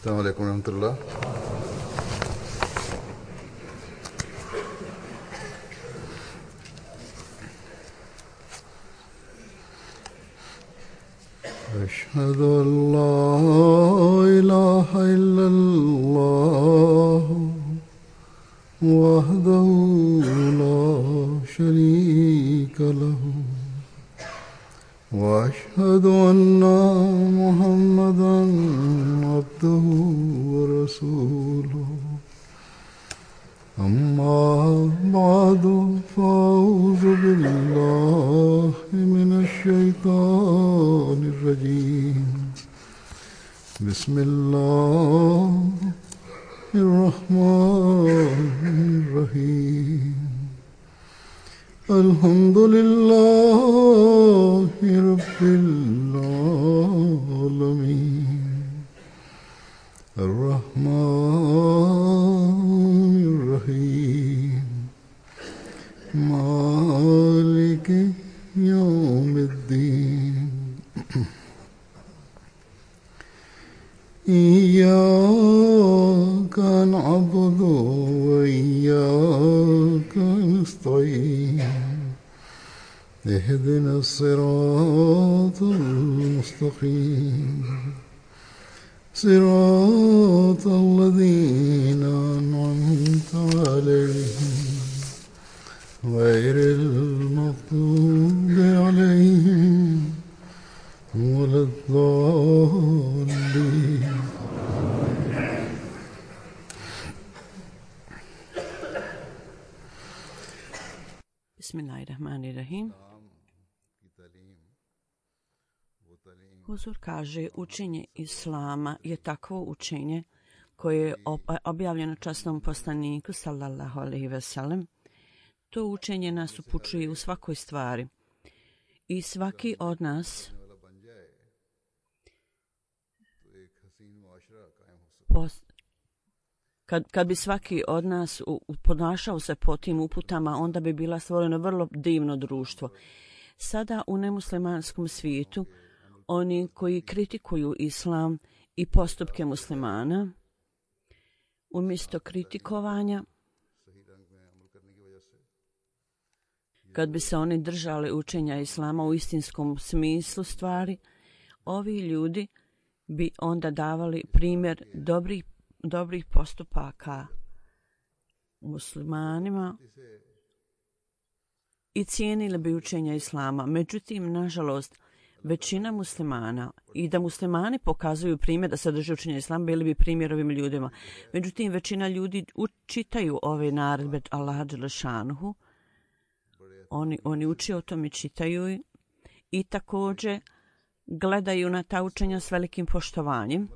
अस्सलाम वालेकुम रहमतुल्लाह। أشهد أن لا إله إلا الله وحده لا شريك له وأشهد أن محمدا عبده ورسوله أما بعد فأعوذ بالله من الشيطان الرجيم بسم الله الرحمن الرحيم الحمد لله رب العالمين الرحمن الرحيم مالك يوم الدين إياك نعبد وإياك نستعين اهدنا الصراط المستقيم صراط الذين أنعمت عليهم غير المغضوب عليهم ولا الضالين. Bismillahirrahmanirrahim. Huzur kaže, učenje Islama je takvo učenje koje je objavljeno časnom poslaniku sallallahu alejhi ve sellem. To učenje nas upućuje u svakoj stvari i svaki od nas kad bi svaki od nas ponašao se po tim uputama, onda bi bila stvoreno vrlo divno društvo. Sada u nemuslimanskom svijetu oni koji kritikuju islam i postupke muslimana, umjesto kritikovanja, kad bi se oni držali učenja islama u istinskom smislu stvari, ovi ljudi bi onda davali primjer dobrih postupaka muslimanima i cijenili bi učenja islama. Međutim, nažalost, većina muslimana, i da muslimani pokazuju primjer da se drže učenja islama, bili bi primjer ovim ljudima. Međutim, većina ljudi čitaju ove naredbe Allaha dželešanuhu. Oni uče o tome, čitaju i također gledaju na ta učenja s velikim poštovanjem.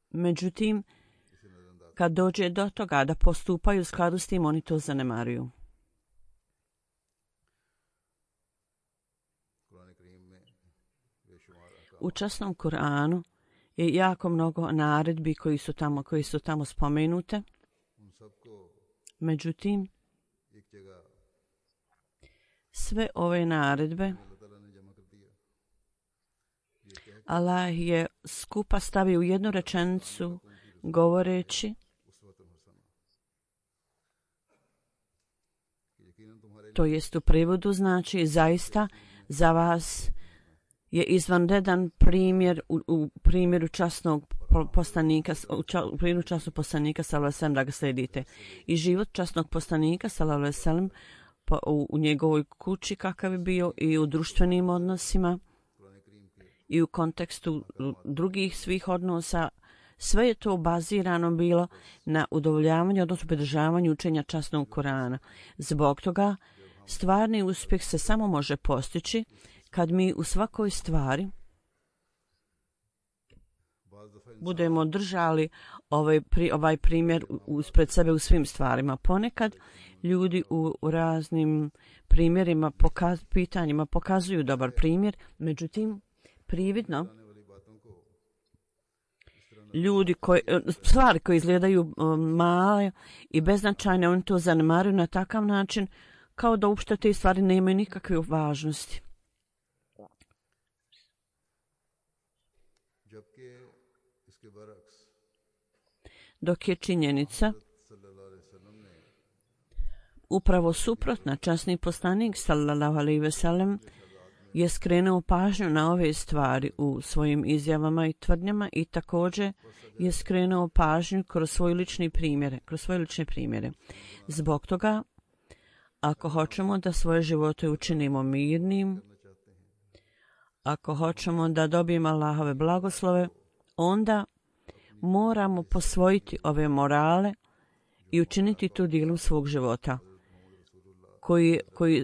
Međutim, kad dođe do toga da postupaju u skladu s tim, oni to zanemaruju. U časnom Kur'anu je jako mnogo naredbi koji su tamo spomenute. Međutim, sve ove naredbe Allah je skupa stavio u jednu rečenicu govoreći, to jest u prevodu znači zaista za vas je izvanredan primjer u primjeru časnog poslanika, u primjeru časnog poslanika sallallahu alejhi ve sellem da ga slijedite. I život časnog poslanika sallallahu alejhi ve sellem u njegovoj kući kakav je bio i u društvenim odnosima i u kontekstu drugih svih odnosa, sve je to bazirano bilo na udovoljavanju, odnosno pridržavanju učenja časnog Kur'ana. Zbog toga stvarni uspjeh se samo može postići kad mi u svakoj stvari budemo držali ovaj primjer ispred sebe u svim stvarima. Ponekad ljudi u raznim primjerima, pitanjima pokazuju dobar primjer, međutim, prividno ljudi stvari koje izgledaju male i beznačajne, oni to zanemaruju na takav način kao da uopšte te stvari nemaju nikakve važnosti. dok je činjenica upravo suprotna. Časni poslanik sallallahu alejhi ve sellem je skrenuo pažnju na ove stvari u svojim izjavama i tvrdnjama i također je skrenuo pažnju kroz svoje lične primjere. Zbog toga, ako hoćemo da svoje živote učinimo mirnim, ako hoćemo da dobijemo Allahove blagoslove, onda moramo posvojiti ove morale i učiniti to dijelom svog života.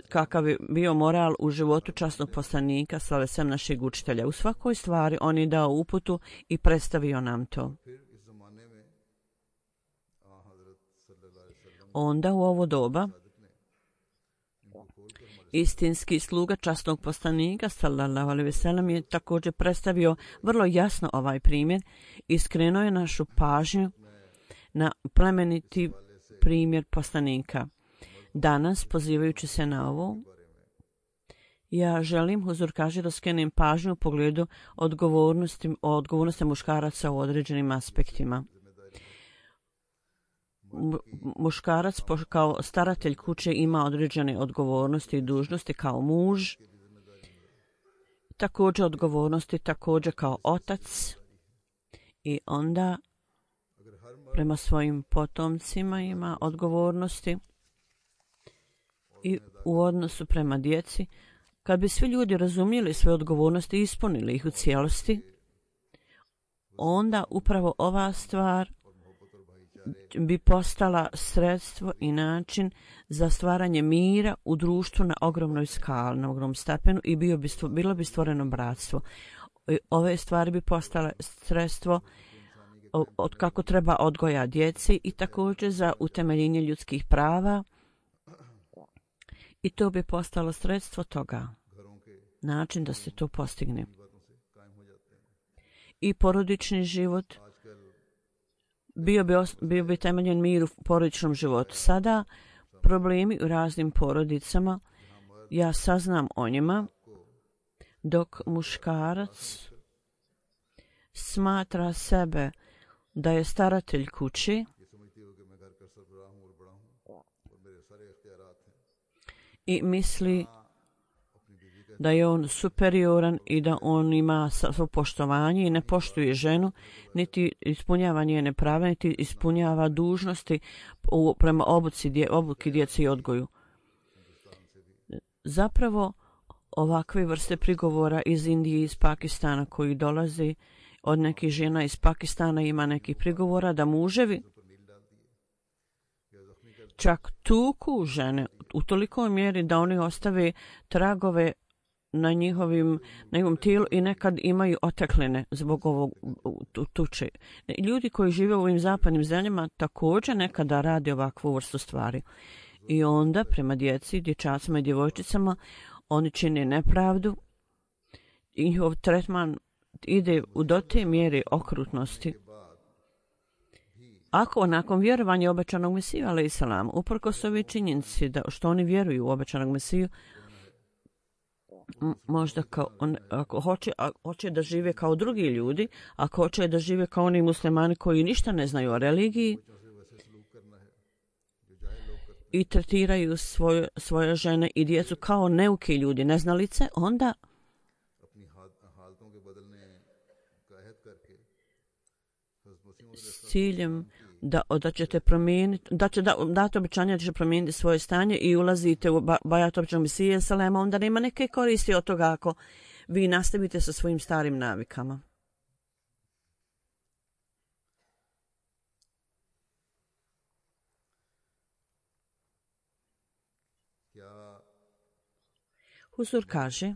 Kakav je bio moral u životu časnog poslanika, slave sem našeg učitelja. U svakoj stvari on je dao uputu i predstavio nam to. Onda u ovo doba istinski sluga časnog poslanika sallallahu alejhi ve sellem je također predstavio vrlo jasno ovaj primjer i skrenuo je našu pažnju na plemeniti primjer poslanika. Danas, pozivajući se na ovo, ja želim, Huzur kaže, da skrenem pažnju u pogledu odgovornosti muškaraca u određenim aspektima. Muškarac kao staratelj kuće ima određene odgovornosti i dužnosti kao muž, također odgovornosti također kao otac i onda prema svojim potomcima ima odgovornosti i u odnosu prema djeci. Kad bi svi ljudi razumjeli svoje odgovornosti i ispunili ih u cijelosti, onda upravo ova stvar bi postala sredstvo i način za stvaranje mira u društvu na ogromnoj skali, na ogromnom stepenu i bilo bi stvoreno bratstvo. Ove stvari bi postale sredstvo od kako treba odgoja djeci i također za utemeljenje ljudskih prava i to bi postalo sredstvo toga, način da se to postigne. I porodični život bio bi temeljen mir u porodičnom životu. Sada problemi u raznim porodicama, ja saznam o njima, dok muškarac smatra sebe da je staratelj kući i misli da je on superioran i da on ima svo poštovanje i ne poštuje ženu, niti ispunjava njene prave, niti ispunjava dužnosti prema obuki djece i odgoju. Zapravo, ovakve vrste prigovora iz Indije i iz Pakistana koji dolazi od nekih žena iz Pakistana ima nekih prigovora da muževi čak tuku žene u tolikoj mjeri da oni ostave tragove na njihovom tijelu i nekad imaju otekline zbog ovog tuče. Ljudi koji žive u ovim zapadnim zemljama također nekada rade ovakvu vrstu stvari. I onda prema djeci, dječacima i djevojčicama oni čine nepravdu i njihov tretman ide do te mjere okrutnosti. Ako nakon vjerovanja obećanog Mesiju, alejhi selam, uprkos ove činjenici da što oni vjeruju u obećanog Mesiju, možda ako hoće da žive kao drugi ljudi, ako hoće da žive kao oni muslimani koji ništa ne znaju o religiji i tretiraju svoje žene i djecu kao neuki ljudi, neznalice, onda s ciljem da ćete promijeniti, dati obećanje da ćete promijeniti svoje stanje i ulazite u bajat obećanog Mesije salema, onda nema neke koristi od toga ako vi nastavite sa svojim starim navikama. Huzur kaže,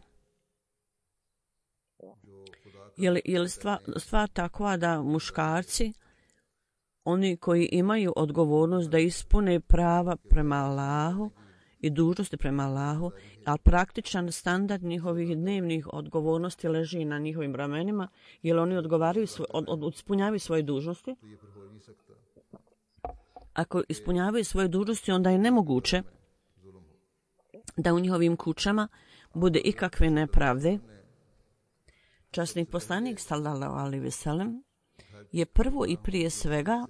je li stvar takva da muškarci, oni koji imaju odgovornost da ispune prava prema Allahu i dužnosti prema Allahu, ali praktičan standard njihovih dnevnih odgovornosti leži na njihovim ramenima, jer oni ispunjavaju svoje dužnosti. Ako ispunjavaju svoje dužnosti, onda je nemoguće da u njihovim kućama bude ikakve nepravde. Časni poslanik sallallahu alejhi ve sellem je prvo i prije svega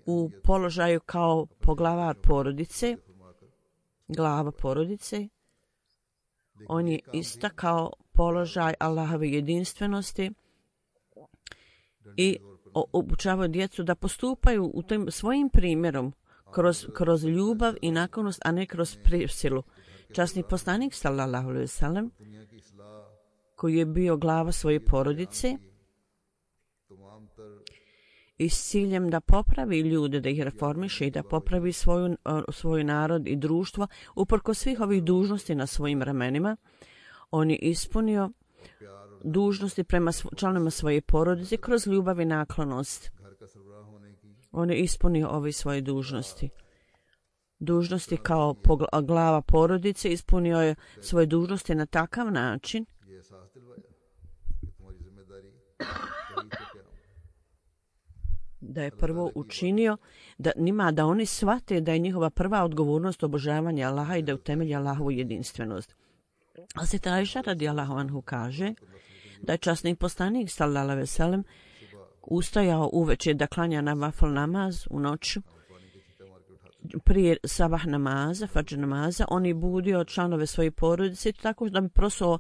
u položaju kao poglavar porodice, glava porodice. On je istakao položaj Allahove jedinstvenosti i obučavao djecu da postupaju u tim svojim primjerom kroz ljubav i naklonost, a ne kroz prisilu. Časni poslanik sallallahu alejhi ve sellem, koji je bio glava svoje porodice i s ciljem da popravi ljude, da ih reformiše i da popravi svoj narod i društvo, uprkos svih ovih dužnosti na svojim ramenima, on je ispunio dužnosti prema članovima svoje porodice kroz ljubav i naklonost. On je ispunio ove svoje dužnosti. Dužnosti kao glava porodice, ispunio je svoje dužnosti na takav način da je prvo učinio da oni shvate da je njihova prva odgovornost obožavanje Allaha i da utemelji Allahovu jedinstvenost. Hazreti Ajša radijallahu anhu kaže da je časni poslanik sallallahu alejhi ve sellem ustajao uveče da klanja nafil namaz u noću prije sabah namaza, fadž namaza. On je budio članove svoje porodice tako da bi prosuo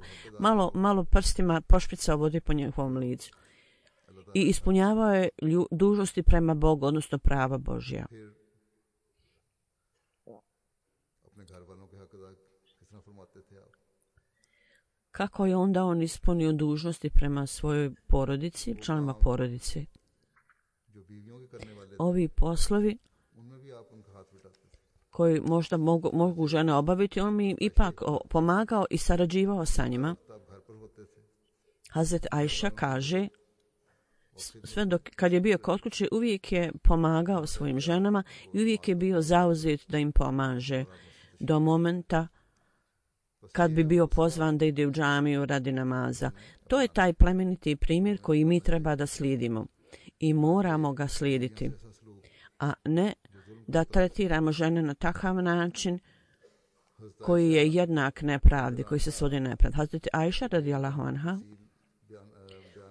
malo prstima, pošpricao vode po njihovom licu i ispunjavao je dužnosti prema Bogu, odnosno prava Božja. Kako je onda on ispunio dužnosti prema svojoj porodici, članovima porodice? Ovi poslovi koji možda mogu žene obaviti, on mi ipak pomagao i sarađivao sa njima. Hazret Ajša kaže, sve kad je bio kod kuće, uvijek je pomagao svojim ženama i uvijek je bio zauzet da im pomaže do momenta kad bi bio pozvan da ide u džamiju radi namaza. To je taj plemeniti primjer koji mi treba da slijedimo i moramo ga slijediti, a ne da tretiramo žene na takav način koji je jednak nepravdi, koji se svodi nepravdi. Hazreti Ajša radijallahu anha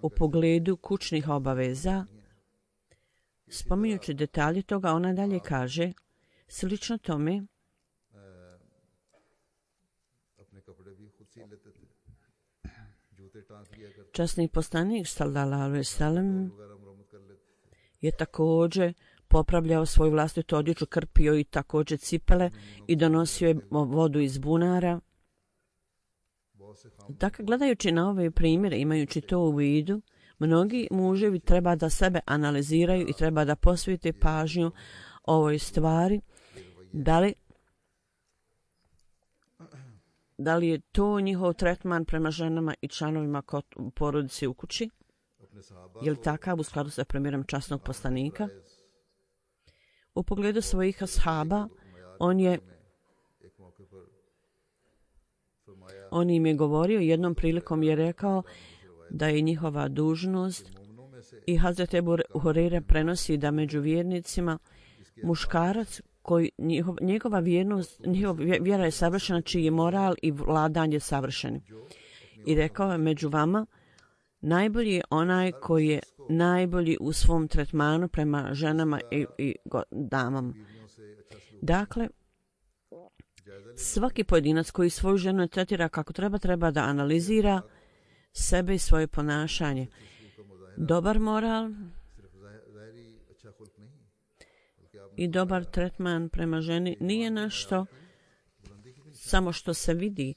u pogledu kućnih obaveza, spominjući detalje toga, ona dalje kaže, slično tome, časni poslanik sallallahu alejhi ve sellem je također popravljao svoju vlastitu odjeću, krpio i također cipele i donosio je vodu iz bunara. Dakle, gledajući na ove primjere, imajući to u vidu, mnogi muževi treba da sebe analiziraju i treba da posvete pažnju ovoj stvari. Da li je to njihov tretman prema ženama i članovima porodice u kući? Je li takav u skladu sa primjerom časnog poslanika? U pogledu svojih ashaba, on im je govorio, jednom prilikom je rekao da je njihova dužnost, i Hazret Ebu Hureyre prenosi da među vjernicima muškarac koji njegova vjera je savršena, čiji je moral i vladanje savršeni. I rekao je, među vama najbolji je onaj koji je najbolji u svom tretmanu prema ženama i damama. Dakle, svaki pojedinac koji svoju ženu tretira kako treba da analizira sebe i svoje ponašanje. Dobar moral i dobar tretman prema ženi nije nešto samo što se vidi,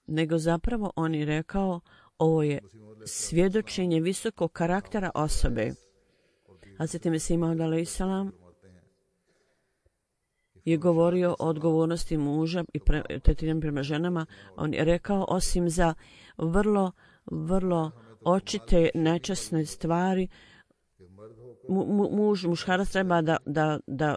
nego zapravo on je rekao, ovo je svjedočenje visokog karaktera osobe. Hazret Mesih Maud alejhiselam je govorio o odgovornosti muža i tretiranju prema ženama. On je rekao, osim za vrlo očite nečasne stvari, muškarac treba da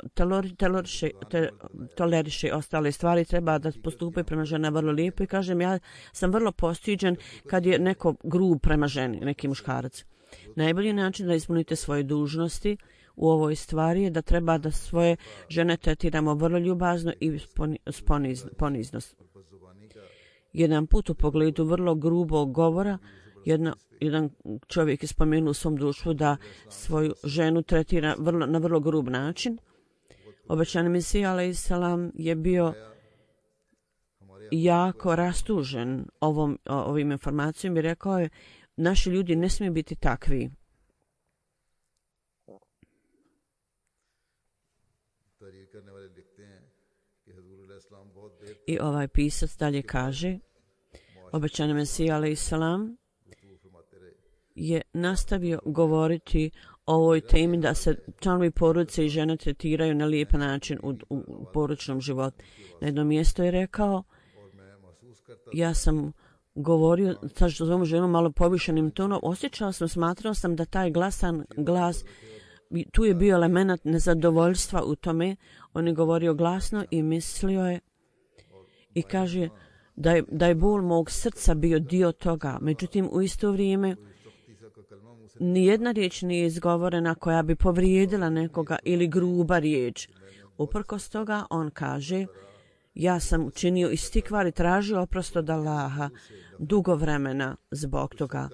toleriše ostale stvari, treba da postupuje prema žena vrlo lijepo. I kažem, ja sam vrlo postiđen kad je neko grub prema ženi, neki muškarac. Najbolji način da ispunite svoje dužnosti u ovoj stvari je da treba da svoje žene tretiramo vrlo ljubazno i ponizno. Jedan put u pogledu vrlo grubog govora Jedan čovjek je spomenuo u svom društvu da svoju ženu tretira na vrlo grub način. Obećani Mesija alejhi selam je bio jako rastužen ovim informacijom i rekao je: naši ljudi ne smiju biti takvi. I ovaj pisac dalje kaže: obećani Mesija alejhi selam je nastavio govoriti o ovoj temi da se članovi porodice i žene tretiraju na lijep način u porodičnom životu. Na jednom mjestu je rekao: ja sam govorio sa svojom ženom malo povišenim tonom, smatrao sam da taj glasan glas, tu je bio element nezadovoljstva u tome. On je govorio glasno i mislio je i kaže da je bol mog srca bio dio toga. Međutim, u isto vrijeme nijedna riječ nije izgovorena koja bi povrijedila nekoga ili gruba riječ. Uprkos toga on kaže: ja sam učinio istikvar i tražio oprost od Allaha dugo vremena zbog toga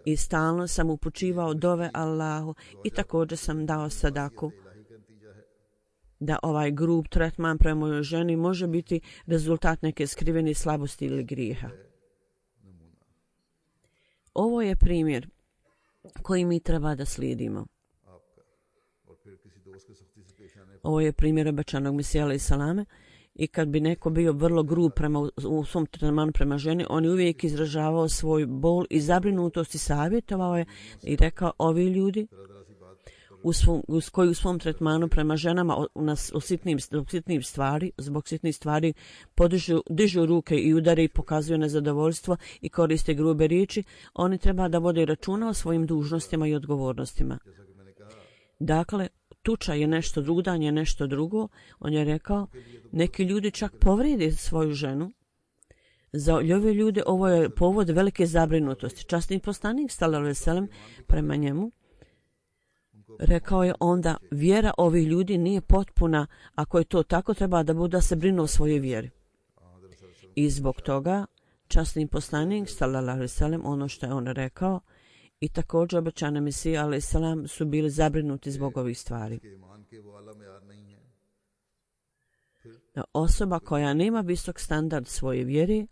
i stalno sam upućivao dove Allahu i također sam dao sadaku. Da ovaj grub tretman prema mojoj ženi može biti rezultat neke skrivene slabosti ili grijeha. Ovo je primjer koji mi treba da slijedimo. Ovo je primjer obećanog Mesija alejhi selame. I kad bi neko bio vrlo grub u svom tretmanu prema ženi, on je uvijek izražavao svoj bol i zabrinutost i savjetovao je i rekao: ovi ljudi koji u svom tretmanu prema ženama zbog sitnih stvari dižu ruke i udare i pokazuju nezadovoljstvo i koriste grube riječi, oni treba da vode računa o svojim dužnostima i odgovornostima. Dakle, tuča je nešto drugo, udanje je nešto drugo. On je rekao: neki ljudi čak povrede svoju ženu. Za ove ljude ovo je povod velike zabrinutosti. Časni poslanik sallallahu alejhi ve sellem prema njemu rekao je onda: vjera ovih ljudi nije potpuna. Ako je to tako, treba da bude da se brinu o svojoj vjeri. I zbog toga časni poslanik sallallahu alejhi ve sellem, ono što je on rekao, i također obećani Mesija alejhi selam su bili zabrinuti zbog ovih stvari. Osoba koja nema visok standard svoje vjere,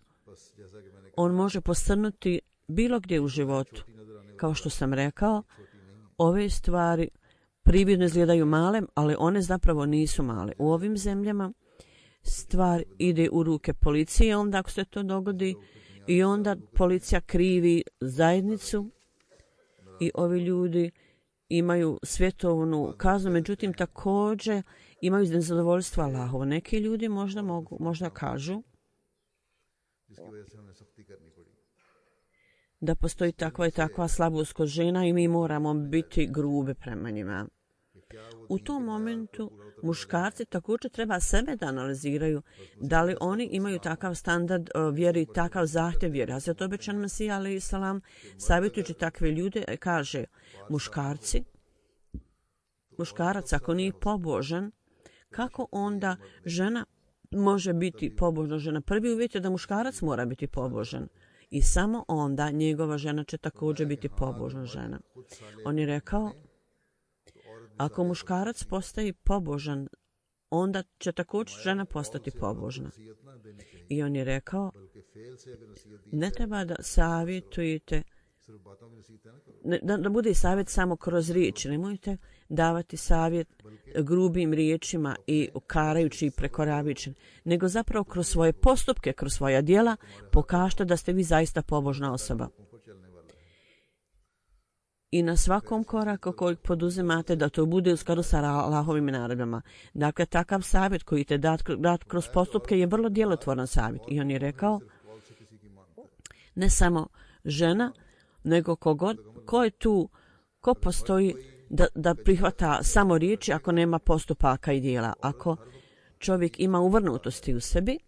on može posrnuti bilo gdje u životu. Kao što sam rekao, ove stvari prividno izgledaju male, ali one zapravo nisu male. U ovim zemljama stvar ide u ruke policije, onda ako se to dogodi, i onda policija krivi zajednicu i ovi ljudi imaju svjetovnu kaznu, međutim također imaju nezadovoljstvo Allahovo. Neki ljudi možda kažu da postoji takva i takva slabost kod žena i mi moramo biti grubi prema njima. U tom momentu muškarci također treba sebe da analiziraju da li oni imaju takav standard vjeri, takav zahtjev vjeri. Hazret obećan Mesija alejhi selam savjetujući takve ljude kaže: muškarac ako nije pobožan, kako onda žena može biti pobožna žena? Prvi uvjet je da muškarac mora biti pobožan i samo onda njegova žena će također biti pobožna žena. On je rekao: ako muškarac postaje pobožan, onda će također žena postati pobožna. I on je rekao: ne treba da savjetujete, da bude savjet samo kroz riječi. Nemojte davati savjet grubim riječima i karajući i prekoravajući, nego zapravo kroz svoje postupke, kroz svoja djela pokažite da ste vi zaista pobožna osoba. I na svakom koraku kojeg poduzimate da to bude u skladu sa Allahovim naredbama. Dakle, takav savjet koji te dat kroz postupke je vrlo djelotvoran savjet. I on je rekao: ne samo žena, nego ko je tu, ko postoji da prihvata samo riječi ako nema postupaka i djela. Ako čovjek ima uvrnutosti u sebi,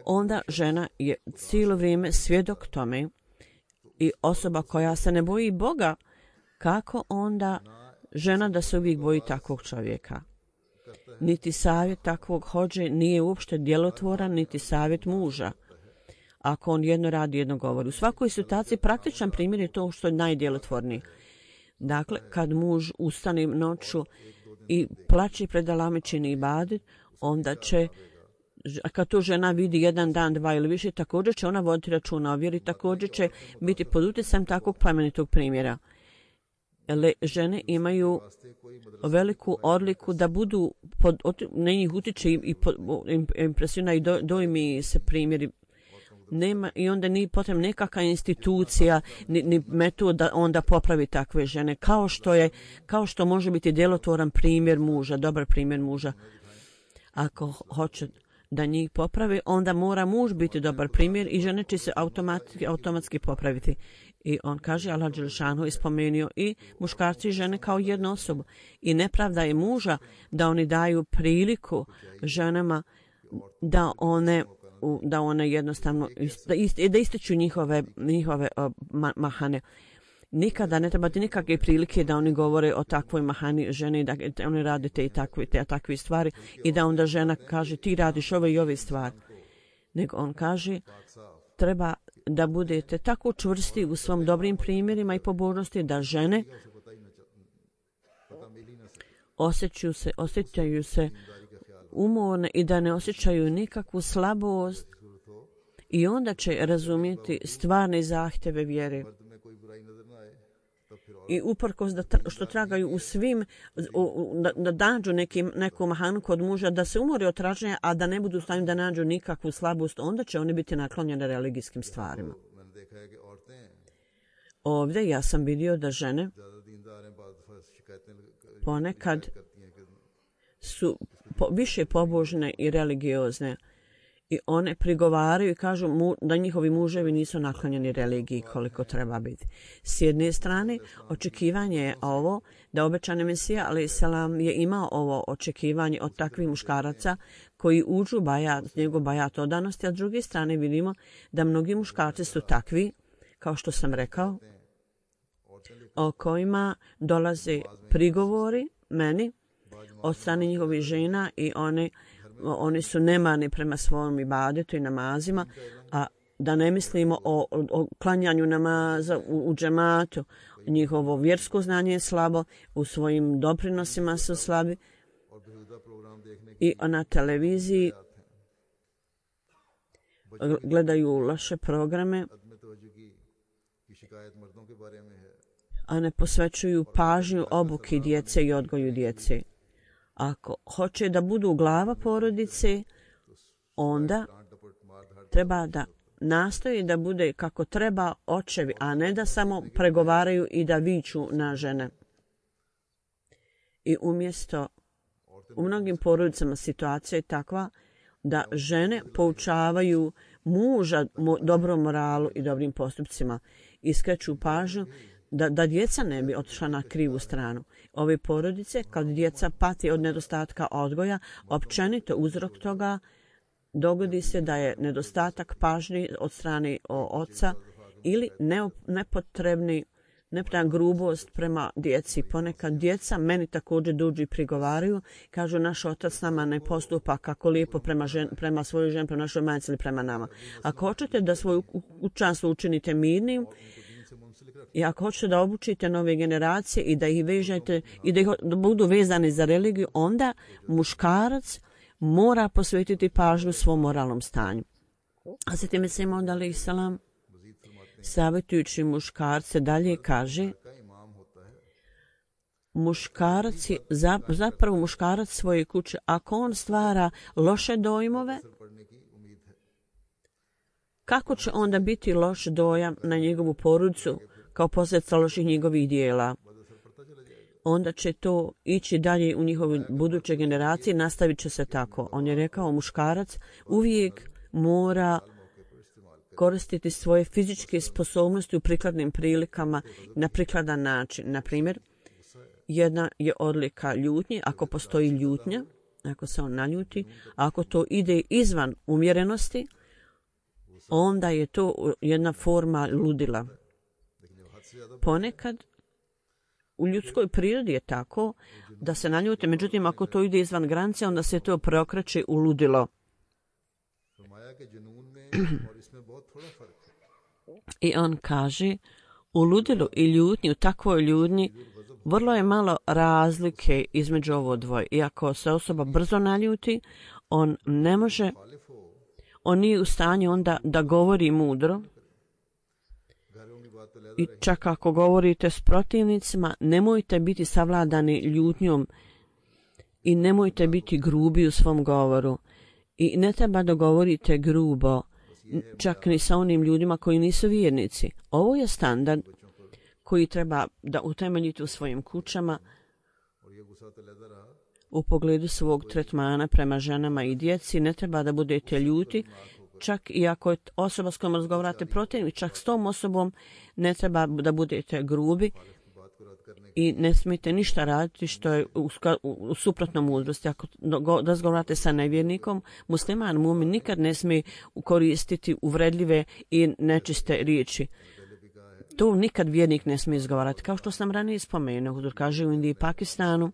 onda žena je cijelo vrijeme svjedok tome i osoba koja se ne boji Boga, kako onda žena da se uvijek boji takvog čovjeka? Niti savjet takvog hodže nije uopšte djelotvoran, niti savjet muža. ako on jedno radi, jedno govori. U svakoj situaciji praktičan primjer je to što je najdjelotvorniji. Dakle, kad muž ustane noću i plače pred Allahom i čini ibadet, onda će, kad to žena vidi jedan dan, dva ili više, također će ona voditi računa o vjeri, također će biti pod utjecajem takvog plemenitog primjera. Žene imaju veliku odliku da budu, na njih utiče i impresionaju i dojmi se primjeri. Nema, i onda nije potrebna nekakva institucija ni metod da onda popravi takve žene, kao što može biti djelotvoran primjer muža, dobar primjer muža. Ako hoće da njih popravi, onda mora muž biti dobar primjer i žene će se automatski popraviti. I on kaže, Allah Đelešanu je spomenuo i muškarci i žene kao jednu osobu. I nepravda je muža da oni daju priliku ženama da one jednostavno da ističu njihove mahane. Nikada ne trebate nikakve prilike da oni govore o takvoj mahani žene, da oni rade te takve stvari i da onda žena kaže ti radiš ove i ove stvari. Nego on kaže treba da budete tako čvrsti u svom dobrim primjerima i pobožnosti da žene osjećaju se umorne i da ne osjećaju nikakvu slabost i onda će razumjeti stvarne zahtjeve vjere. I uprkos što tragaju u svim, da nađu neku mahanu kod muža, da se umore od traženja, a da ne budu u stanju da nađu nikakvu slabost, onda će oni biti naklonjene religijskim stvarima. Ovdje ja sam vidio da žene ponekad su više pobožne i religiozne i one prigovaraju i kažu da njihovi muževi nisu naklonjeni religiji koliko treba biti. S jedne strane, očekivanje je ovo da obećani Mesija a.s. je imao ovo očekivanje od takvih muškaraca koji uđu njegov bajat odanosti, a s druge strane vidimo da mnogi muškarci su takvi, kao što sam rekao, o kojima dolaze prigovori meni od strane njihovih žena i oni su nemani prema svojom ibadetu i namazima, a da ne mislimo o klanjanju namaza u džematu. Njihovo vjersko znanje je slabo, u svojim doprinosima su slabi i na televiziji gledaju loše programe, a ne posvećuju pažnju obuki djece i odgoju djece. Ako hoće da budu glava porodice, onda treba da nastoji da bude kako treba očevi, a ne da samo pregovaraju i da viču na žene. I umjesto, u mnogim porodicama situacija je takva da žene poučavaju muža dobrom moralu i dobrim postupcima i skreću pažnju da djeca ne bi otišla na krivu stranu. Ove porodice, kad djeca pati od nedostatka odgoja, općenito uzrok toga dogodi se da je nedostatak pažnje od strane oca ili nepotrebna grubost prema djeci. Ponekad djeca meni također dođu i prigovaraju, kažu naš otac nama ne postupa kako lijepo prema svojoj ženi, prema našoj majci ili prema nama. Ako hoćete da svoju kućanstvo učinite mirnim, i ako hoćete da obučite nove generacije i da ih vežete i da budu vezani za religiju, onda muškarac mora posvetiti pažnju svom moralnom stanju. A se time se imao da salam savjetujući muškarce dalje kaže muškarac je zapravo muškarac svoje kuće. Ako on stvara loše dojmove, kako će onda biti loš dojam na njegovu porodicu kao posljedica loših njegovih dijela? Onda će to ići dalje u njihove buduće generacije, nastavit će se tako. On je rekao, muškarac uvijek mora koristiti svoje fizičke sposobnosti u prikladnim prilikama na prikladan način. Na primjer, jedna je odlika ljutnje, ako postoji ljutnja, ako se on naljuti, a ako to ide izvan umjerenosti, onda je to jedna forma ludila. Ponekad u ljudskoj prirodi je tako da se naljute, međutim ako to ide izvan granice, onda se to preokreće u ludilo. I on kaže, u ludilu i ljutnji, u takvoj ljutnji, vrlo je malo razlike između ovo dvoje. Iako se osoba brzo naljuti, on ne može, on nije u stanju onda da govori mudro. I čak ako govorite s protivnicima, nemojte biti savladani ljutnjom i nemojte biti grubi u svom govoru. I ne treba da govorite grubo, čak ni sa onim ljudima koji nisu vjernici. Ovo je standard koji treba da utemeljite u svojim kućama u pogledu svog tretmana prema ženama i djeci. Ne treba da budete ljuti, čak i ako je osoba s kojom razgovarate protiv, čak s tom osobom ne treba da budete grubi i ne smijete ništa raditi što je u suprotnom mudrosti. Ako razgovarate sa nevjernikom, musliman, mumin nikad ne smije koristiti uvredljive i nečiste riječi. To nikad vjernik ne smije izgovarati. Kao što sam ranije spomenuo, Hudur kaže u Indiji i Pakistanu,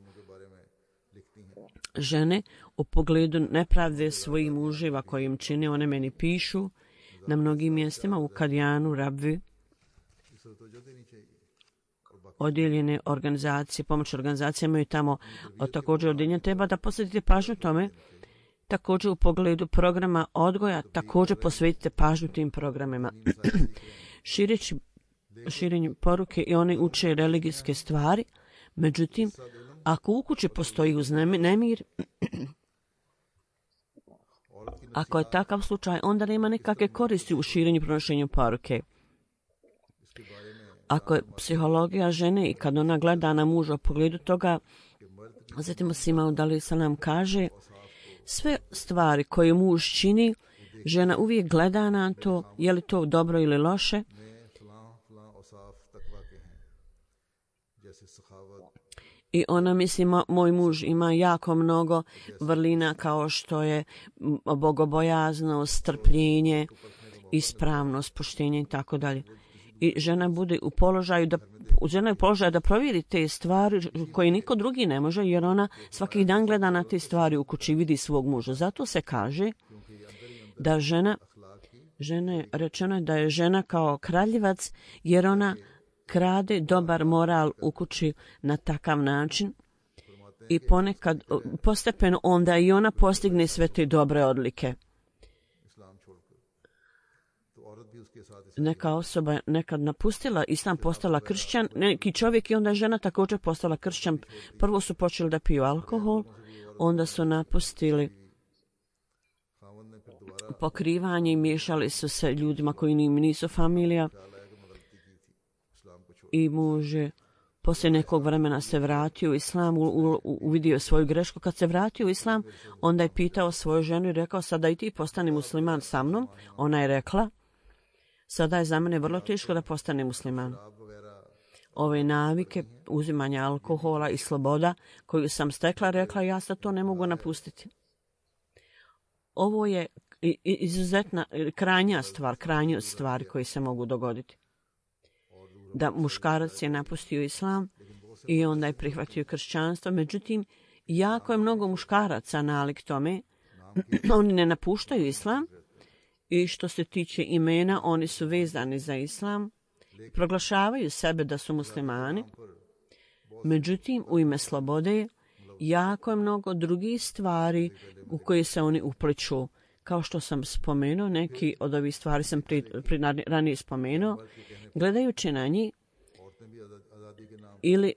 žene u pogledu nepravde svojih muževa koji im čine, one meni pišu na mnogim mjestima u Kadijanu, Rabvi, odjeljene organizacije, pomoć organizacije imaju tamo također odjeljenje. Treba da posvetite pažnju tome. Također u pogledu programa odgoja, također posvetite pažnju tim programima. Širenju poruke i oni uče religijske stvari. Međutim, ako u kući postoji nemir, ako je takav slučaj, onda nema nikakve koristi u širenju i pronošenju poruke. Ako je psihologija žene i kad ona gleda na muža u pogledu toga, zatim Sima Udali Salam kaže, sve stvari koje muž čini, žena uvijek gleda na to, je li to dobro ili loše. I ona misli, moj muž ima jako mnogo vrlina kao što je bogobojaznost, strpljenje, ispravnost, poštenje i tako dalje. I žena bude u položaju da provjeri te stvari koje niko drugi ne može, jer ona svaki dan gleda na te stvari u kući, vidi svog muža. Zato se kaže da rečeno je da je žena kao kraljevac, jer ona krade dobar moral u kući na takav način i ponekad postepeno onda i ona postigne sve te dobre odlike. Neka osoba nekad napustila islam, postala kršćan, neki čovjek i onda je žena također postala kršćan. Prvo su počeli da piju alkohol, onda su napustili pokrivanje i miješali su se ljudima koji nisu familija. I muž poslije nekog vremena se vratio u islam, uvidio svoju grešku. Kad se vratio u islam, onda je pitao svoju ženu i rekao, sada i ti postani musliman sa mnom. Ona je rekla, sada je za mene vrlo teško da postane musliman. Ove navike, uzimanja alkohola i sloboda koju sam stekla, rekla, ja sad to ne mogu napustiti. Ovo je izuzetna, krajnja stvari koje se mogu dogoditi. Da muškarac je napustio islam i onda je prihvatio kršćanstvo. Međutim, jako je mnogo muškaraca nalik tome. Oni ne napuštaju islam i što se tiče imena, oni su vezani za islam. Proglašavaju sebe da su muslimani. Međutim, u ime slobode jako je mnogo drugih stvari u koje se oni upliču. Kao što sam spomenuo, neki od ovih stvari sam ranije spomenuo, gledajući na njih ili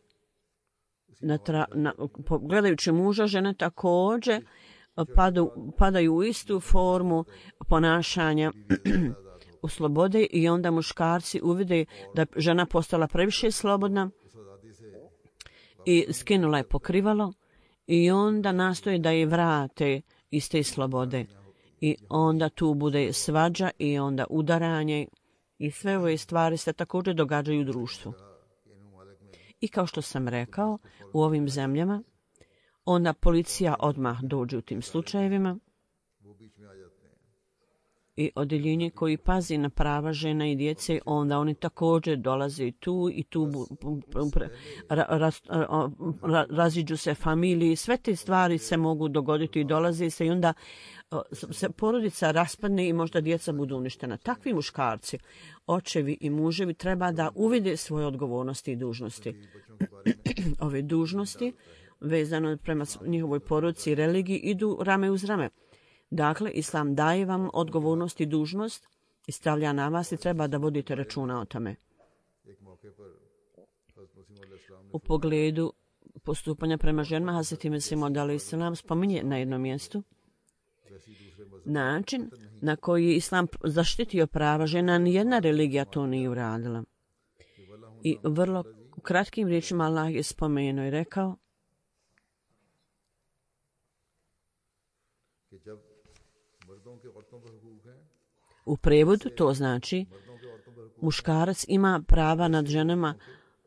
gledajući muža, žene također padaju u istu formu ponašanja u slobode i onda muškarci uvide da žena postala previše slobodna i skinula je pokrivalo i onda nastoje da je vrate iz te slobode. I onda tu bude svađa i onda udaranje i sve ove stvari se također događaju u društvu. I kao što sam rekao, u ovim zemljama, onda policija odmah dođe u tim slučajevima i odjeljenje koji pazi na prava žena i djece, onda oni također dolaze tu i tu raziđu se familiji. Sve te stvari se mogu dogoditi i dolaze se i onda se porodica raspadne i možda djeca budu uništena. Takvi muškarci, očevi i muževi treba da uvide svoje odgovornosti i dužnosti. Ove dužnosti vezano prema njihovoj porodici i religiji idu rame uz rame. Dakle, Islam daje vam odgovornost i dužnost i stavlja na vas i treba da vodite računa o tome. U pogledu postupanja prema ženama, Hazreti Mesih Maud a.s. spominje na jednom mjestu način na koji je Islam zaštitio prava žena, nijedna religija to nije uradila. I vrlo kratkim riječima Allah je spomenuo i rekao: u prevodu to znači muškarac ima prava nad ženama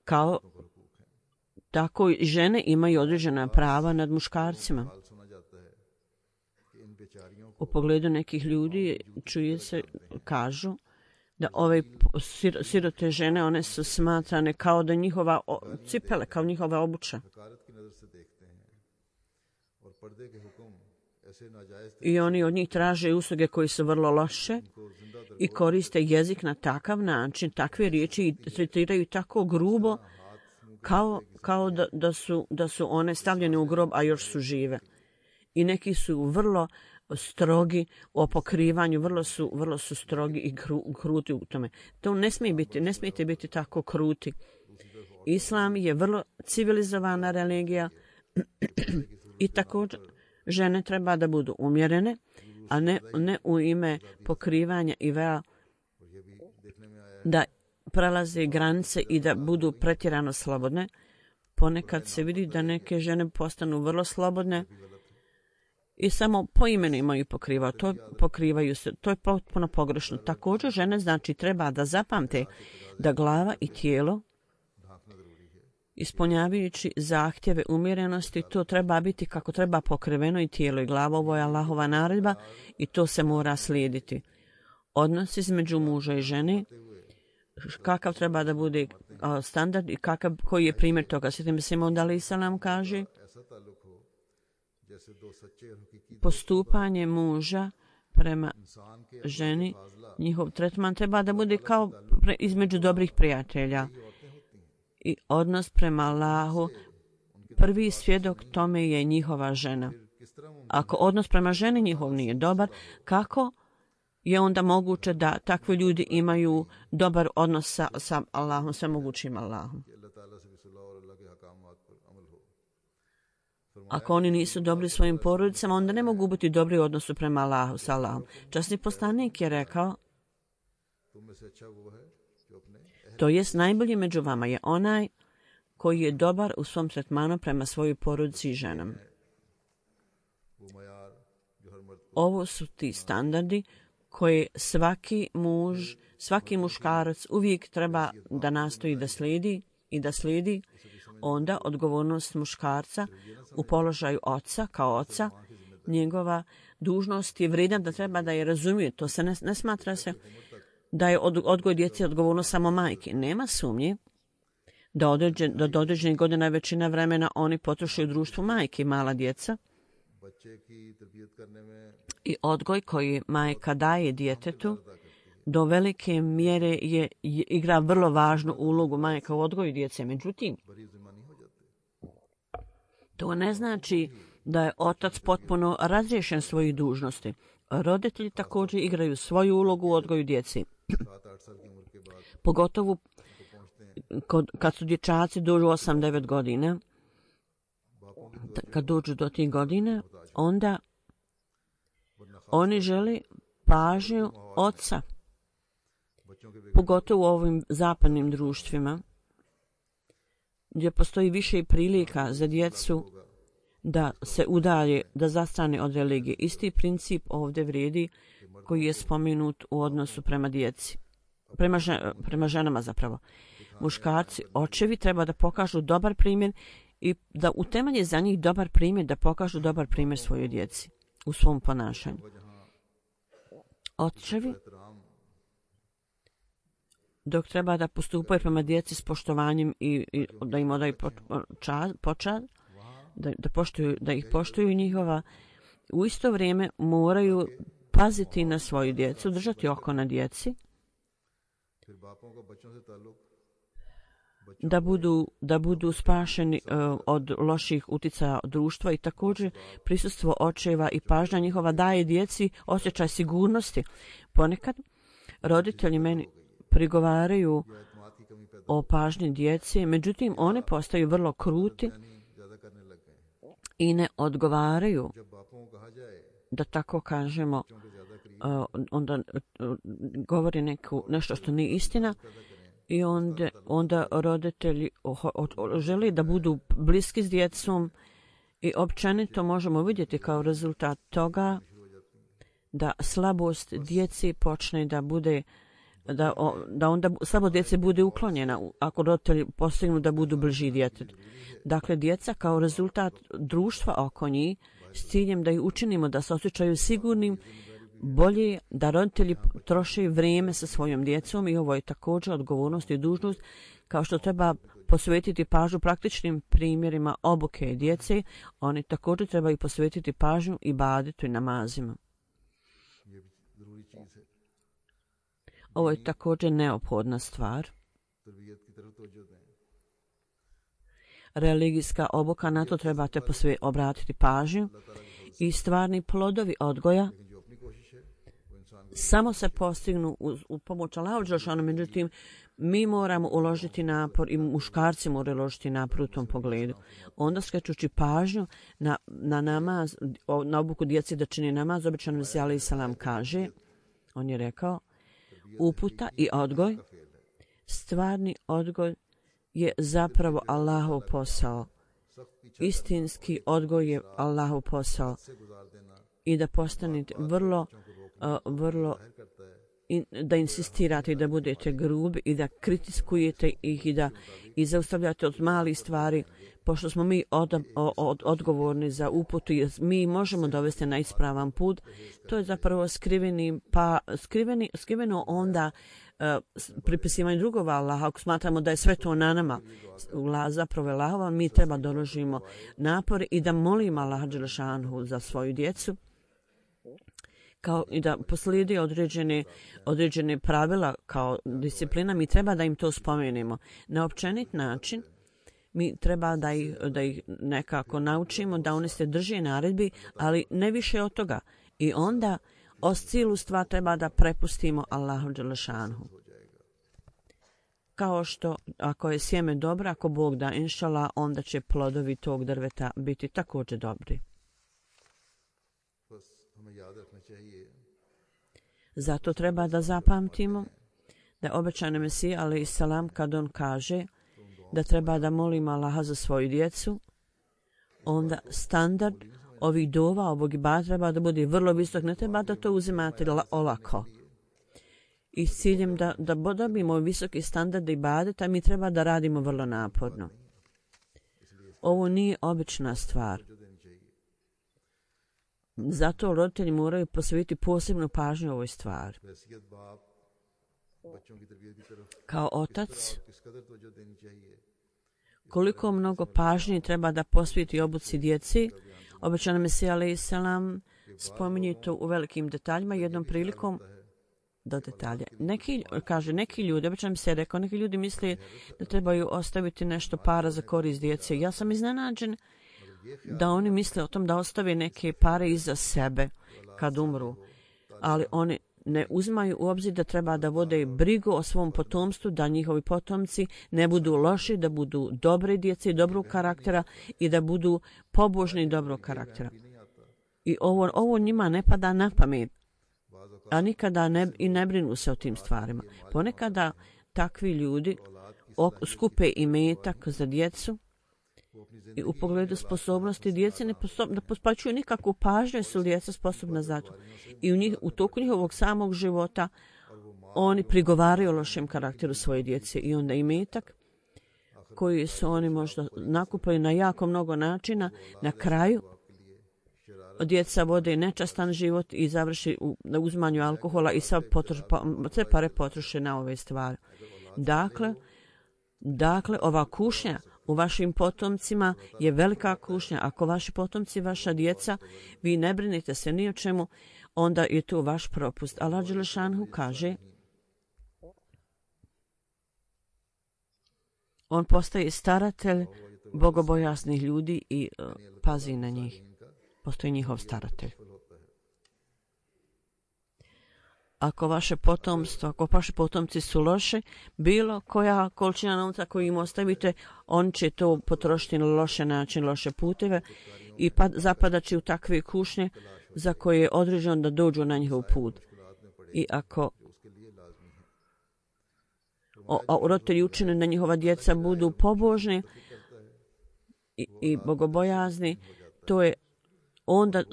kao tako i žene imaju određena prava nad muškarcima. U pogledu nekih ljudi čuje se, kažu da ove sirote žene, one su smatrane kao da njihova cipele, kao njihova obuća. I oni od njih traže usluge koji su vrlo loše i koriste jezik na takav način, takve riječi i tretiraju tako grubo kao da su one stavljene u grob, a još su žive. I neki su vrlo strogi o pokrivanju, vrlo su strogi i kruti u tome. To ne smijete biti tako kruti. Islam je vrlo civilizovana religija i također žene treba da budu umjerene, a ne u ime pokrivanja i vea da prelaze granice i da budu pretjerano slobodne. Ponekad se vidi da neke žene postanu vrlo slobodne i samo po imenu imaju pokrivaju se. To je potpuno pogrešno. Također žene znači treba da zapamte da glava i tijelo, ispunjavajući zahtjeve umjerenosti, to treba biti kako treba pokriveno i tijelo i glava. Ovo je Allahova naredba i to se mora slijediti. Odnos između muža i žene, kakav treba da bude standard i koji je primjer toga. Hazreti Mesih Maud a.s. kaže: postupanje muža prema ženi, njihov tretman treba da bude kao između dobrih prijatelja. I odnos prema Allahu, prvi svjedok tome je njihova žena. Ako odnos prema ženi njihov nije dobar, kako je onda moguće da takvi ljudi imaju dobar odnos sa Allahom, sa mogućim Allahom? Ako oni nisu dobri svojim porodicama, onda ne mogu biti dobri u odnosu prema Allahu, sa Allahom. Časni poslanik je rekao: to jest najbolji među vama je onaj koji je dobar u svom tretmanu prema svojoj porodici i ženama. Ovo su ti standardi koje svaki muškarac uvijek treba da nastoji da slijedi, onda odgovornost muškarca u položaju oca, kao oca, njegova dužnost je vrijedna da treba da je razumije. To se ne smatra se da je odgoj djece odgovornost samo majke. Nema sumnje da do određenih godina većina vremena oni potroše u društvu majke i mala djeca. I odgoj koji majka daje djetetu do velike mjere igra vrlo važnu ulogu majka u odgoju djece. Međutim, to ne znači da je otac potpuno razriješen svojih dužnosti. Roditelji također igraju svoju ulogu u odgoju djeci. Pogotovo kad su dječaci dođu 8-9 godina, kad dođu do tih godina, onda oni žele pažnju oca. Pogotovo u ovim zapadnim društvima, gdje postoji više prilika za djecu da se udalje, da zastrane od religije. Isti princip ovdje vrijedi koji je spomenut u odnosu prema djeci. Prema ženama zapravo. Muškarci, očevi treba da pokažu dobar primjer i da utemelje za njih dobar primjer, da pokažu dobar primjer svojoj djeci u svom ponašanju. očevi, dok treba da postupaju prema djeci s poštovanjem i da im odaju počast, da ih poštuju njihova, u isto vrijeme moraju paziti na svoju djecu, držati oko na djeci, da budu spašeni od loših uticaja društva i također prisustvo očeva i pažnja njihova daje djeci osjećaj sigurnosti. Ponekad roditelji meni prigovaraju o pažnji djece, međutim one postaju vrlo kruti i ne odgovaraju, da tako kažemo, onda govori nešto što nije istina i onda roditelji žele da budu bliski s djecom i općenito možemo vidjeti kao rezultat toga da slabost djeci počne da bude da onda slabost djece bude uklonjena ako roditelji postignu da budu bliži djetetu. Dakle, djeca kao rezultat društva oko njih s ciljem da ih učinimo da se osjećaju sigurnim, bolje da roditelji troše vrijeme sa svojom djecom i ovo je također odgovornost i dužnost, kao što treba posvetiti pažnju praktičnim primjerima obuke djece, oni također trebaju posvetiti pažnju i ibadetu i namazima. Ovo je također neophodna stvar. Religijska obuka, na to trebate obratiti pažnju i stvarni plodovi odgoja samo se postignu u pomoć Allaha dželešanu, međutim mi moramo uložiti napor i muškarci moraju uložiti napor u tom pogledu. Onda skrećući pažnju na namaz, na obuku djeci da čini namaz, običan Mesija alejhi selam kaže, on je rekao, uputa i odgoj, stvarni odgoj je zapravo Allahov posao. Istinski odgoj je Allahov posao i da postanete vrlo da insistirate i da budete grubi i da kritiskujete ih i zaustavljate od malih stvari, pošto smo mi odgovorni za uputu i mi možemo dovesti na ispravan put. To je zapravo skriveno onda pripisivanje drugova Allaha. Ako smatramo da je sve to na nama, zapravo je Allahova, mi treba doložimo napor i da molimo Allaha dželešanu za svoju djecu, kao i da poslijedi određene pravila kao disciplina, mi treba da im to spomenemo. Na općenit način mi treba da ih nekako naučimo da oni se drže naredbi, ali ne više od toga. I onda cijelu stvar treba da prepustimo Allahu dželešanu. Kao što ako je sjeme dobro, ako Bog da inšallah, onda će plodovi tog drveta biti također dobri. Zato treba da zapamtimo da je obećani Mesija alejhi selam kad on kaže da treba da molimo Allaha za svoju djecu, onda standard ovih dova, ovog ibadeta treba da bude vrlo visok, ne treba da to uzimate olako. I s ciljem da dobijemo visoki standard ibadeta, mi treba da radimo vrlo naporno. Ovo nije obična stvar. Zato roditelji moraju posvetiti posebnu pažnju ovoj stvari. Kao otac, koliko mnogo pažnje treba da posveti obuci djeci, obećani Mesija alejhi selam spominje to u velikim detaljima, jednom prilikom do detalja. Neki ljudi, običan mi se rekao, neki ljudi misle da trebaju ostaviti nešto para za korist djece. Ja sam iznenađen da oni misle o tom da ostave neke pare iza sebe kad umru, ali oni ne uzimaju u obzir da treba da vode brigu o svom potomstvu, da njihovi potomci ne budu loši, da budu dobre djece, dobrog karaktera i da budu pobožni i dobrog karaktera. I ovo njima ne pada na pamet, a nikada ne brinu se o tim stvarima. Ponekada takvi ljudi skupe imetak za djecu i u pogledu sposobnosti djece ne pospaćuju nikakvu pažnju, jer su djeca sposobna za to. I u toku njihovog samog života oni prigovaraju o lošem karakteru svoje djece i onda imetak koji su oni možda nakupili na jako mnogo načina, na kraju djeca vode nečastan život i završi na uzmanju alkohola i sve pare potroše na ove stvari. Dakle, ova kušnja u vašim potomcima je velika kušnja. Ako vaši potomci, vaša djeca, vi ne brinite se ni o čemu, onda je to vaš propust. Allah dželešanhu kaže, on postaje staratelj bogobojaznih ljudi i pazi na njih. Postoji njihov staratelj. Ako vaši potomci su loše, bilo koja količina novca koju im ostavite, on će to potrošiti na loše način, loše puteve i zapadat će u takve kušnje za koje je određeno da dođu na njihov put. I ako roditelji učine da njihova djeca budu pobožni i bogobojazni, to je onda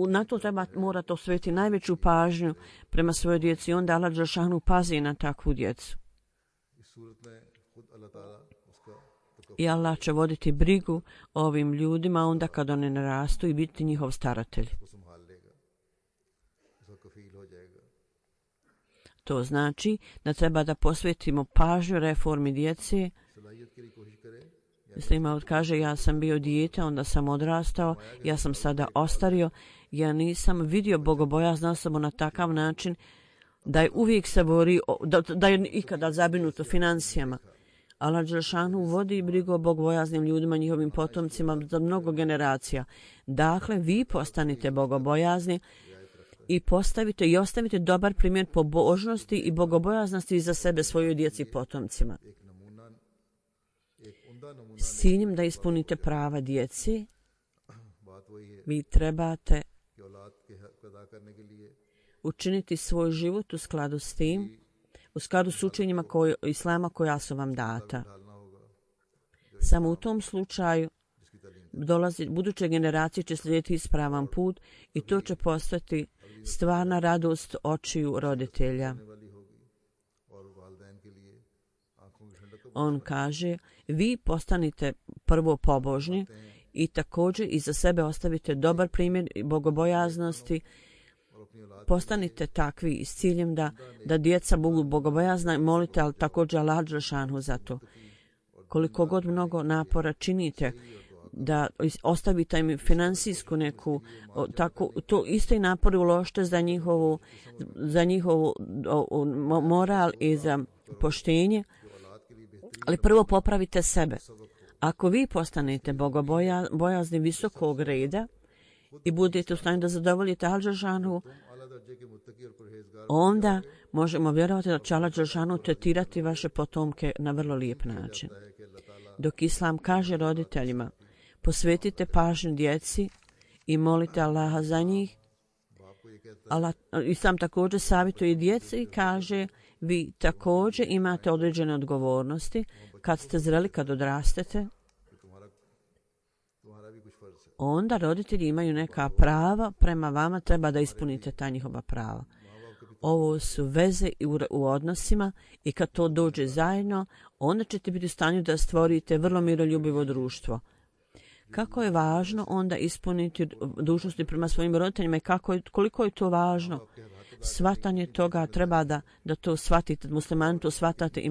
na to morate osvetiti najveću pažnju prema svojoj djeci. Onda Allah dželešanu pazi na takvu djecu. I Allah će voditi brigu o ovim ljudima onda kad oni narastu i biti njihov staratelj. To znači da treba da posvetimo pažnju reformi djece. Muslimaut kaže, ja sam bio dijete, onda sam odrastao, ja sam sada ostario, ja nisam vidio bogobojaznu osobu na takav način da je uvijek se bori, da je ikada zabrinut o financijama. Allah dželešanu vodi brigu o bogobojaznim ljudima, njihovim potomcima za mnogo generacija. Dakle, vi postanite bogobojazni i postavite i ostavite dobar primjer pobožnosti i bogobojaznosti za sebe, svojoj djeci i potomcima. S ciljem da ispunite prava djeci, vi trebate učiniti svoj život u skladu s tim, u skladu s učenjima Islama koja su vam data. Samo u tom slučaju buduće generacije će slijediti ispravan put i to će postati stvarna radost očiju roditelja. On kaže, vi postanite prvo pobožni i također i za sebe ostavite dobar primjer bogobojaznosti. Postanite takvi s ciljem da djeca budu bogobojazna i molite, ali također Allah dželešanu za to. Koliko god mnogo napora činite da ostavite im finansijsku neku, tako, to isto i napori uložite za njihovu moral i za poštenje, ali prvo popravite sebe. Ako vi postanete bogobojazni visokog reda i budete u stanju da zadovoljite Allah dželešanu, onda možemo vjerovati da će Allah dželešanu tretirati vaše potomke na vrlo lijep način. Dok Islam kaže roditeljima, posvetite pažnju djeci i molite Allaha za njih, Islam također savjetuje djeci i kaže, vi također imate određene odgovornosti kad ste zreli, kad odrastete. Onda roditelji imaju neka prava prema vama, treba da ispunite ta njihova prava. Ovo su veze u odnosima i kad to dođe zajedno, onda ćete biti u stanju da stvorite vrlo miroljubivo društvo. Kako je važno onda ispuniti dužnosti prema svojim roditeljima i koliko je to važno? Shvatanje toga treba da to shvatite, muslimani to shvatate i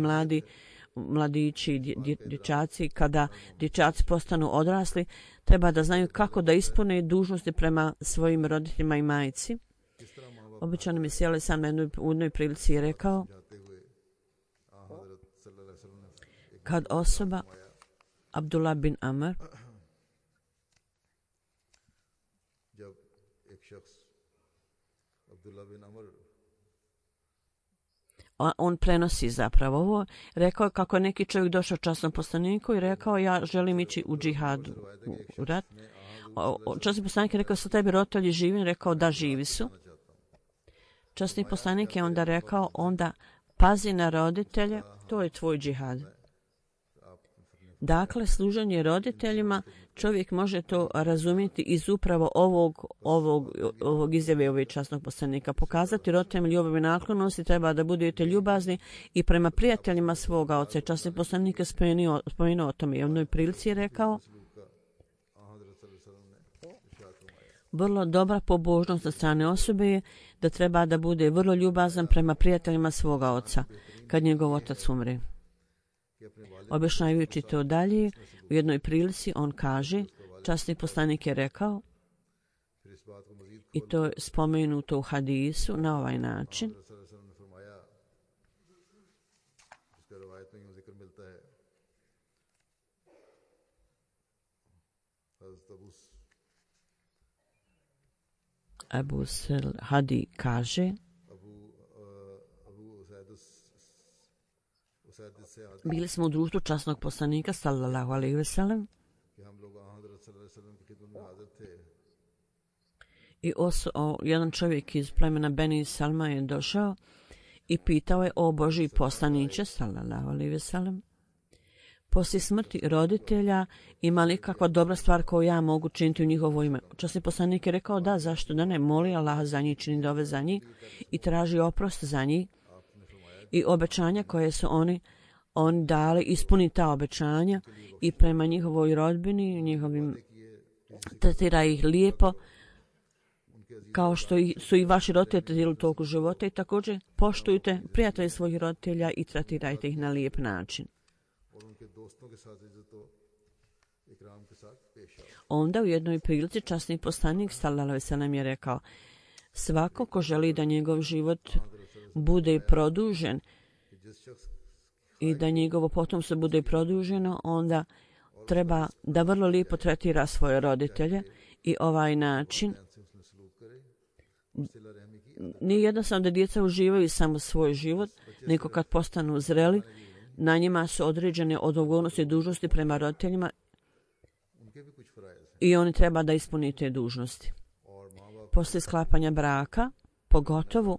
mladići i dječaci. Kada dječaci postanu odrasli, treba da znaju kako da ispune dužnosti prema svojim roditeljima i majci. Obično mi sjeli sam na jednoj prilici i rekao, kad osoba Abdullah bin Amr on prenosi zapravo ovo, rekao je kako je neki čovjek došao časnom poslaniku i rekao, ja želim ići u džihad, u rat. Časni poslanik je rekao, su tebi roditelji živi? Rekao, da, živi su. Časni poslanik je onda rekao, onda pazi na roditelje, to je tvoj džihad. Dakle, služenje roditeljima, čovjek može to razumjeti iz upravo ovog izjave ovog časnog poslanika. Pokazati roditeljima ljubav i naklonost, treba da budete ljubazni i prema prijateljima svoga oca. Časni poslanik je spomenuo o tome. I u jednoj prilici je rekao, vrlo dobra pobožnost od strane osobe je da treba da bude vrlo ljubazan prema prijateljima svoga oca kad njegov otac umre. Objašnjavajući to dalje, u jednoj prilici on kaže, časni poslanik je rekao, i to je spomenuto u hadisu na ovaj način, Abu Sel Hadi kaže, bili smo u društvu časnog poslanika sallallahu alejhi ve sellem i jedan čovjek iz plemena Beni Salma je došao i pitao je: o Božji poslaniče sallallahu alejhi ve sellem, poslije smrti roditelja ima li kakva dobra stvar koju ja mogu činiti u njihovo ime? Časni poslanik je rekao: da, zašto da ne, moli Allaha za njih, čini dove za njih i traži oprost za njih i obećanja koje su oni dali, ispuni ta obećanja i prema njihovoj rodbini, njihovim, tretira ih lijepo kao što su i vaši roditelji tretirali u toku života, i također poštujte prijatelje svojih roditelja i tretirajte ih na lijep način. Onda u jednoj prilici časni poslanik sallallahu alejhi ve sellem je rekao: svako ko želi da njegov život bude produžen i da njegovo potomstvo bude produženo, onda treba da vrlo lijepo tretira svoje roditelje i ovaj način nije jednostavno da djeca uživaju samo svoj život, nego kad postanu zreli, na njima su određene odgovornosti i dužnosti prema roditeljima i oni treba da ispune te dužnosti. Poslije sklapanja braka, pogotovo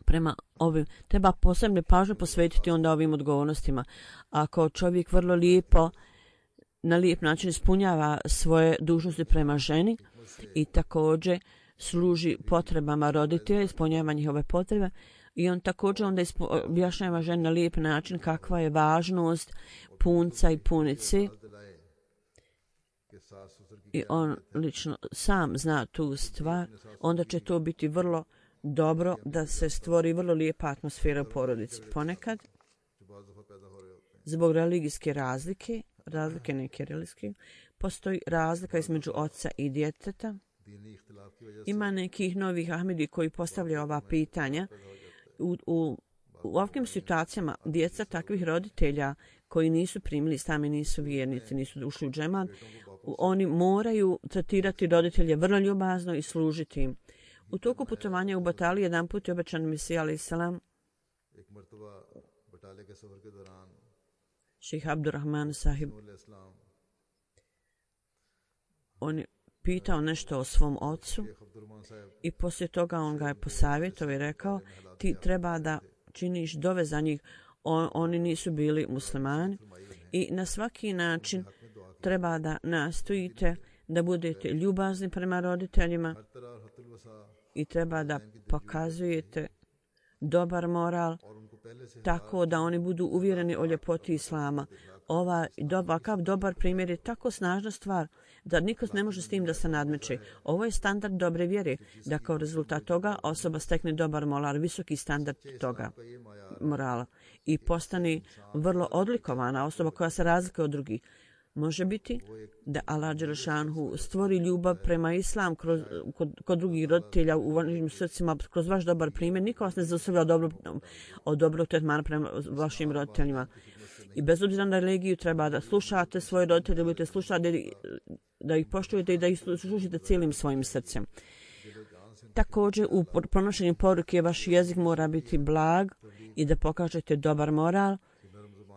prema ovim, treba posebne pažnje posvetiti onda ovim odgovornostima. Ako čovjek vrlo lijepo, na lijep način ispunjava svoje dužnosti prema ženi i također služi potrebama roditelja, ispunjava njihove potrebe, i on također onda objašnjava ženi na lijep način kakva je važnost punca i punice, i on lično sam zna tu stvar, onda će to biti vrlo dobro da se stvori vrlo lijepa atmosfera u porodici. Ponekad, zbog religijske razlike neke religijske, postoji razlika između oca i djeteta. Ima nekih novih Ahmedi koji postavljaju ova pitanja. U ovakvim situacijama djeca takvih roditelja koji nisu primili, sami nisu vjernici, nisu ušli u džemat, oni moraju tretirati roditelje vrlo ljubazno i služiti im. U toku putovanja u Batali jedan put je obećan Mesija alejhi selam, šejh Abdurrahman sahib, on je pitao nešto o svom ocu i poslije toga on ga je posavjetovao i rekao: ti treba da činiš dove za njih, oni nisu bili muslimani, i na svaki način treba da nastojite da budete ljubazni prema roditeljima i treba da pokazujete dobar moral tako da oni budu uvjereni o ljepoti islama. Ovakav dobar primjer je tako snažna stvar da niko ne može s tim da se nadmeće. Ovo je standard dobre vjere, da kao rezultat toga osoba stekne dobar moral, visoki standard toga morala i postane vrlo odlikovana osoba koja se razlikuje od drugih. Može biti da Allah dželešanhu stvori ljubav prema islam kod drugih roditelja u vašim srcima kroz vaš dobar primjer. Niko vas ne zaustavlja od dobrog tretmana prema vašim roditeljima. I bez obzira na religiju treba da slušate svoje roditelje, da budete slušati, da ih poštujete i da ih slušate cijelim svojim srcem. Također u pronošenju poruke vaš jezik mora biti blag i da pokažete dobar moral,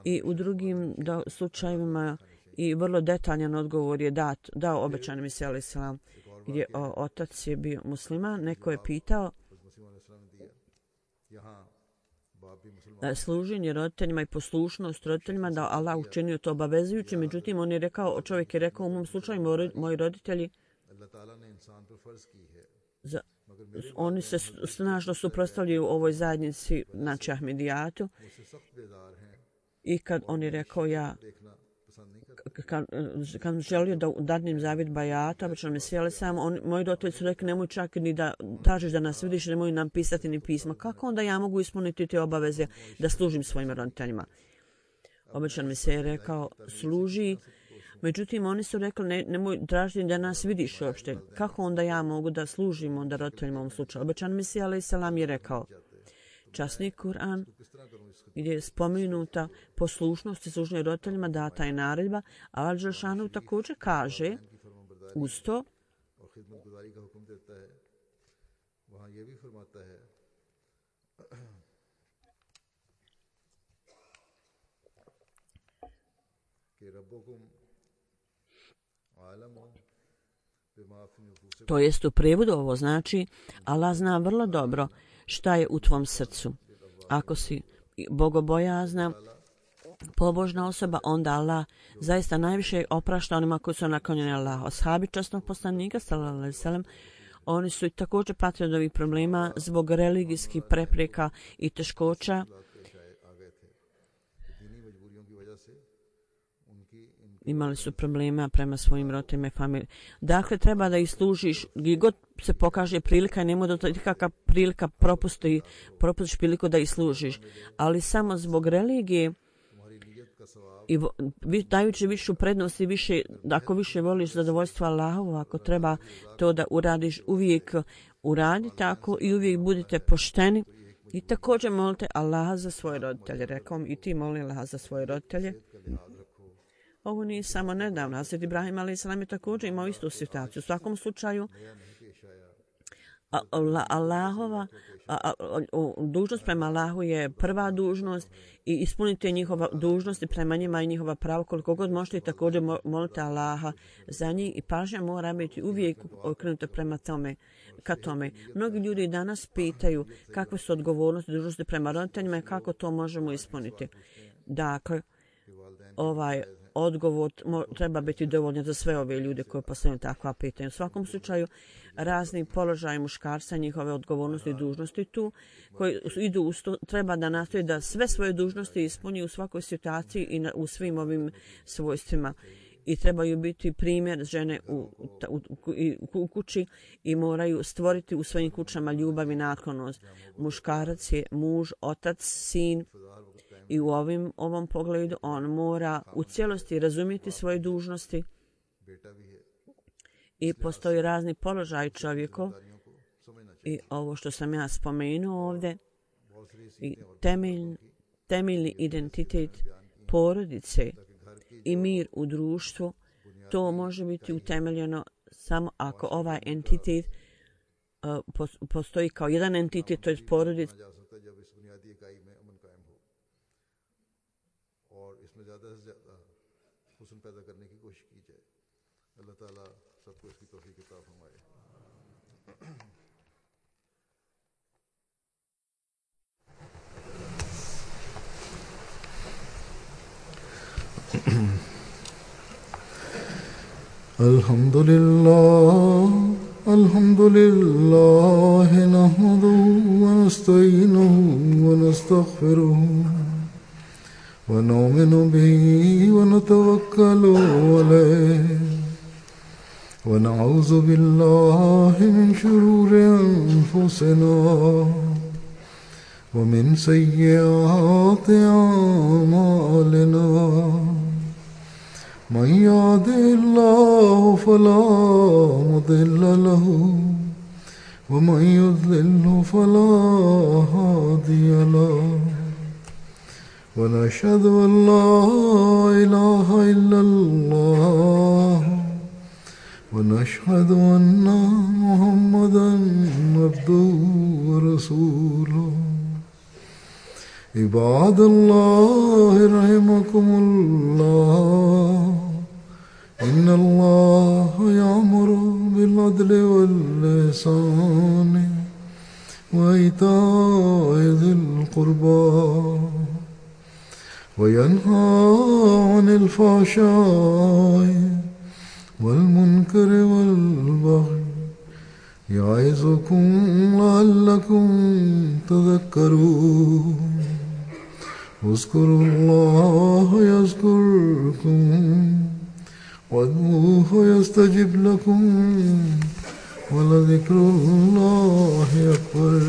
i u drugim slučajevima i vrlo detaljan odgovor je dao obećani Mesija alejhi selam, gdje otac je bio musliman. Neko je pitao služenje roditeljima i poslušnost roditeljima, da Allah učinio to obavezujući, međutim čovjek je rekao: u mom slučaju moji roditelji oni se snažno suprotstavljaju ovoj zajednici, znači Ahmedijatu, i kad on je rekao kad želio da dadnem zavjet bajata, obično me sjeli sam, moji roditelji su rekli nemoj čak ni da tražiš da nas vidiš, nemoj nam pisati ni pisma. Kako onda ja mogu ispuniti te obaveze da služim svojim roditeljima? Obično mi se je rekao služi, međutim oni su rekli nemoj tražiti da nas vidiš uopšte. Kako onda ja mogu da služim onda roditeljima u ovom slučaju? Obično mi se je rekao časni Kur'an gdje je spomenuta poslušnost i služenje roditeljima, data je naredba, a Allah Đelešanu također kaže uz to to jest u prijevodu ovo znači Allah zna vrlo dobro šta je u tvom srcu. Ako si bogobojazna, pobožna osoba, onda Allah zaista najviše oprašta onima koji su naklonjeni Allahu. Ashabi časnog poslanika sallallahu alejhi ve sellem, oni su također patili od ovih problema zbog religijskih prepreka i teškoća. Imali su problema prema svojim roditeljima i familiji. Dakle, treba da ih služiš gdje god se pokaže prilika i nemoj da to kakva prilika propustiš priliku da ih služiš. Ali samo zbog religije i dajući višu prednost i više, ako više voliš zadovoljstvo Allahovo, ako treba to da uradiš, uvijek uradi tako i uvijek budite pošteni. I također molite Allaha za svoje roditelje. Rekao mi i ti moli Allaha za svoje roditelje. Ovo nije samo nedavno. Hazret Ibrahim a.s. je također imao istu situaciju. U svakom slučaju, Allahova dužnost prema Allahu je prva dužnost i ispunite njihova dužnosti prema njima i njihova prava koliko god možete i također molite Allaha za njih i pažnja mora biti uvijek okrenuta prema tome, ka tome. Mnogi ljudi danas pitaju kakve su odgovornosti i dužnosti prema roditeljima i kako to možemo ispuniti. Dakle, ovaj odgovor treba biti dovoljno za sve ove ljude koji postavljaju takva pitanja. U svakom slučaju, razni položaji muškarca, njihove odgovornosti i dužnosti tu, koji idu uz to, treba da nastoji da sve svoje dužnosti ispuni u svakoj situaciji i u svim ovim svojstvima. I trebaju biti primjer žene u kući i moraju stvoriti u svojim kućama ljubav i naklonost. Muškarac je muž, otac, sin. I u ovom pogledu on mora u cijelosti razumjeti svoje dužnosti i postoji razni položaj čovjekov i ovo što sam ja spomenuo ovdje i temeljni identitet porodice i mir u društvu, to može biti utemeljeno samo ako ovaj entitet postoji kao jedan entitet, to je porodica. पैदा करने की कोशिश की जाए। अल्लाह ताला सबको इसकी तौफीक अता फरमाए। अल्हम्दुलिल्लाह नहमदुहु व नस्तईनुहु व नस्तगफिरुहु ونؤمن به ونتوكل عليه ونعوذ بالله من شرور أنفسنا ومن سيئات أعمالنا من يهده الله فلا مضل له ومن يضلل فلا هادي له ونشهد أن لا إله إلا الله ونشهد أن محمدا عبده ورسوله عباد الله رحمكم الله إن الله يأمر بالعدل والإحسان وإيتاء ذي القربى وينهى عن الفحشاء والمنكر والبغي يعظكم لعلكم تذكرون اذكروا الله يذكركم وادعوه يستجب لكم ولذكر الله أكبر